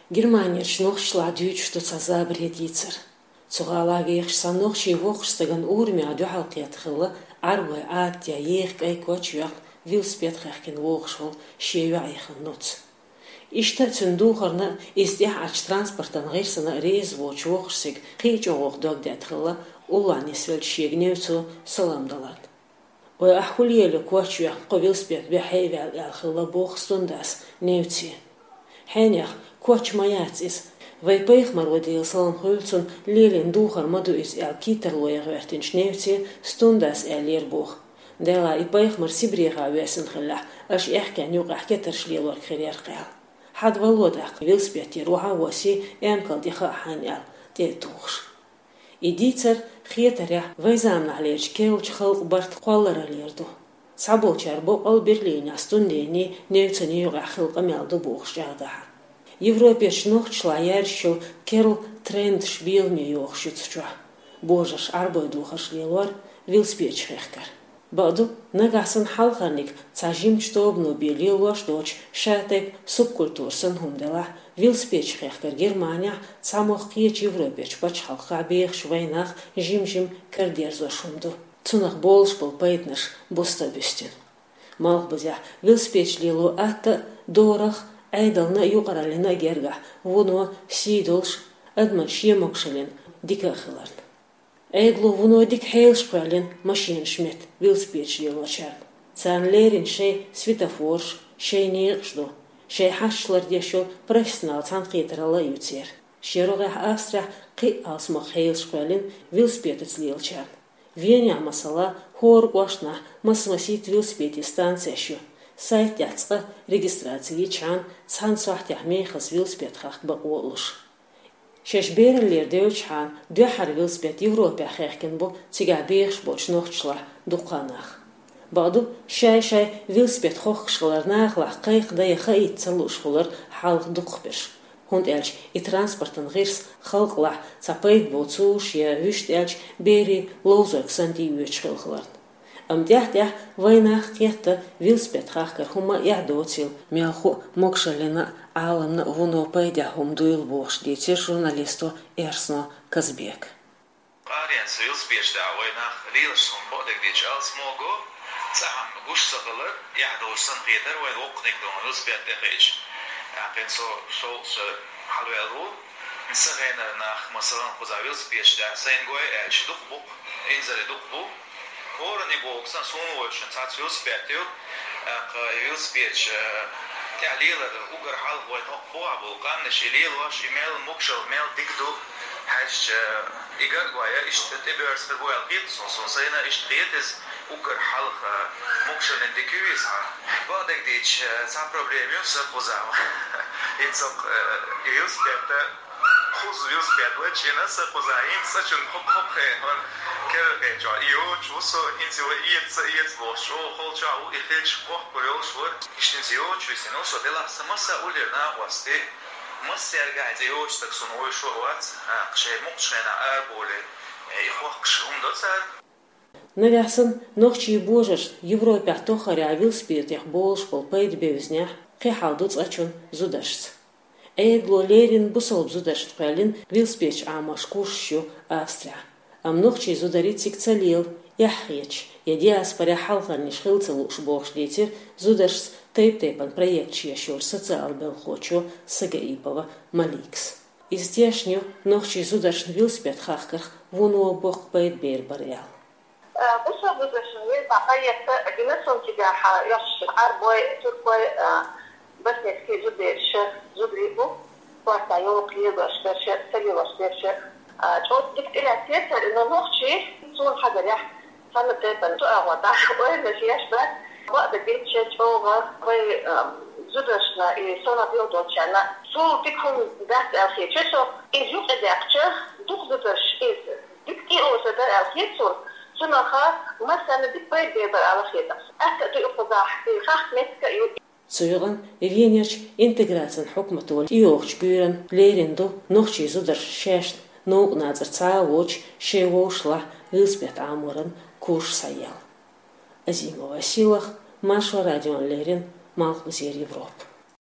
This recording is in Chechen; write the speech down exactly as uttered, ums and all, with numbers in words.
Германерчу нохчашлахь дуьйцуш ду цхьа забаре дийцар. Цу гӀалахь вехаш цхьана нохчийн воккхачу стагана урамехь дуьхьал кхетта хилла Ӏарбойн Ӏадатехь еха кӀайн коч а йоькъна, велосипед а хехкина вогӀуш волу шен йоӀан ханна нуц. Иштта а цуьнан духарна а, иза тӀехь Ӏачу транспортан гӀирсана а реза воцучу воккхачу стага кхин а чӀогӀа дог детта хилла уллохь нисвеллачу шега Невцо салам даларна. «Ой, ахь хӀун лелайо коч а йоькъна, кхо велосипед бехье а ваьлла», — аьлла хилла боху Стундас Невце. «Хьенех, коч ма яц иза. Вайн пайхамаро, Делан салам хуьлда цунна, лелийна духар ма ду иза», — аьлла кийттарло ян гӀоьртинчу Невце Стундас аьллера боху: «Делахь и пайхамар Сибрехахь воьссина хиллехь, аша аьхкенна юкъахь кетарш лелорг хир яра-кх», — аьлла. «Хьада вало тӀаккха, велосипедера охьа а воссий, эмкал тӀе хаа хьайна», — аьлла, тӀе а тухуш. И дийцар, хетарехь, вайн заманахьлерчу керлачу халкъан барт кхоллараллера ду. Цхьаболчара боккъал Берлинехь Стунденний Невцаний юкъахь хилла къамел ду бохуш чӀагӀдахьара. Европерчу нохчашлахь яьржачу керла трендаш беламе йохуш ю цу чохь: божарша Ӏарбойн духарш лелор, велосипедаш хехкар. Бакъду, нагахь санна хьалхарниг цхьа жимачу тобано бен лелош доцуш, ша тайпа субкультура санна хӀума делахь, велосипедаш хехкар Германехь, цхьамогӀа кхечу Европерчу пачхьалкхехь бехаш вайнах жим-жима карадерзош хӀума ду. Цунах болуш болу пайданаш буста а буьстина. Малхбузехь велосипедаш лело атта а, дорах а, Ӏедална а, юкъараллина а гергахь вуно сий долуш, адаман шен могушаллина дика а хиларна. Ӏедало вуно дика хьелаш кхоьллина машенаш метта велосипедаш лелочарна. Царна леррина шайн светофораш, шайн некъаш ду, шайн хьашташ лардеш йолу профессионал цхьаьнакхетаралла а ю церан. Шен рогӀехь Австрехь кхин а алсамох хьелаш кхоьллина велосипедаца лелочарна. Венехь, масала, хӀора кӀоштахь масса-масийтта велосипедийн станцеш ю. Сайт тӀехь цкъа регистраци йичхьана, цхьана сохьтехь мехаза велосипед хахка бакъо а луш. Шаьш бераллера девллачхьана, дуьххьара велосипед Европехь хехкина бу цигахь бехаш болчу нохчашлахь дуккха а нах. Бакъду, шай-шай велосипед хохкуш хилар нахалахь кхайкхадан я хаийта ца лууш хилар хьалха дукхахберш. ХӀунда аьлча и транспортан гӀирс халкъалахь цхьа пайда боцуш я, вуьшта аьлча, берийн ловзарг санна тӀеоьцуш хилла хиларна. Амма тӀаьхь-тӀаьхьа вайнах кхетта велосипед хахкар хӀумма а эхь доцийла, мелхо а, могушаллина а, Ӏаламна а вуно пайдехь хӀума дуйла бохуш дийцира журналисто Эрсно Казбека. Аренца велосипедаш тӀехь вайнах лелаш хӀума бакъдерг дийцича алсамого, цхьа хӀума гуш ца хилар, эхь долуш санна хетара вайна воккханиг ду велосипед тӀе хиъча. ТӀаккха цо шовзткъа шо хьалаваьлла ву. Сан генара нах, масалан, кхузахь велосипедаш тӀехь сайна гой аьлча, дукха бу-кх, инзаре дукха бу. ХӀоранниг боху сан, суна вайшна цхьацца велосипед ю, тӀаккха и велосипедаш, э, тӀехь лелар уггар хьалха вайн хӀокху бухахь болу къаьмнаш и лелош, и мел могушалла, мел дика ду хьаьжча, и гаргой, иштта тӀебоьрзу хир бу аьлла хета суна, суна сайна иштта хета иза, уггар хьалха могушаллина дика ю иза хьан. Бакъдерг дийцича, цхьа проблема ю сан кхузахь. ХӀинца, э, и велосипед а, кхуза велосипед вачийна сан кхузахь, хӀинца цӀа чунна хӀокху-хӀокху хенахь керла кхечохь и йоцуш ву со, хӀинца вай эца ца эца бохуш, чӀогӀа холчохь ву, и хилча кхохкур йолуш вара. Иштта хӀинца йоцуш висина ву со, делахь сан массо а уллера накъостий, массаьрга а хӀинца йоцуш стаг суна вуьйш а вац, а, шайн мукъачу хенахь арабовлий, и хохкуш хӀума до цара. Нагахь санна нохчийн божаршна Европехь тоххарехь велосипедех болуш болу пайда бевзинехь, кхин хьал ду цкъачунна зударшца. Ӏедало леррина бусалба зударшна кхоьллина велосипедаш Ӏамош курсаш ю Австрехь. Амма нохчийн зударий цига ца лела, эхь хеташ, я диаспорехь хьалхарниш хила ца лууш бохуш дийцира зударшца тайп-тайпана проекташ еш йолчу социал белхахочо Сагаипова Маликас. Иза тешна ю нохчийн зударшна велосипед хахкарх вуно боккха пайда бер бара аьлла. Э, бусалба зударшна веза проект гина суна цигахь, уьш Ӏарбой, туркой, э, боснийский зудабераш, зударий бу, кортахь йовха лелош берш, ца лелош берш. Э, чӀогӀа дика тӀелаьцна цара, но нохчий суна хьагарехь, цхьана тайпана цу агӀор дӀа ойла еш бац. Бакъдерг дийцича, чӀогӀа вай, э, зударшна и сонах билгалдолчарна цул дика хӀума дац аьлла хеташ со, иза юкъадаьккхича, дукха зударш иза дика тӀеозар дара аьлла хета суна, цунах массарна дика пайда бер бара аьлла хета. Атта а ду и кхузахь, и хахка меттиг а ю. Цу юкъана Венерчу интеграцин хьукмато тӀейогӀучу буьйранна лерина ду нохчийн зударшна шаьшна новкъа нацара цхьа а воцуш шайн вовшашлахь велосипед Ӏаморан курс схьаяла. Азимова Силах, Маршо радиона леррина, Малхбузера Европа.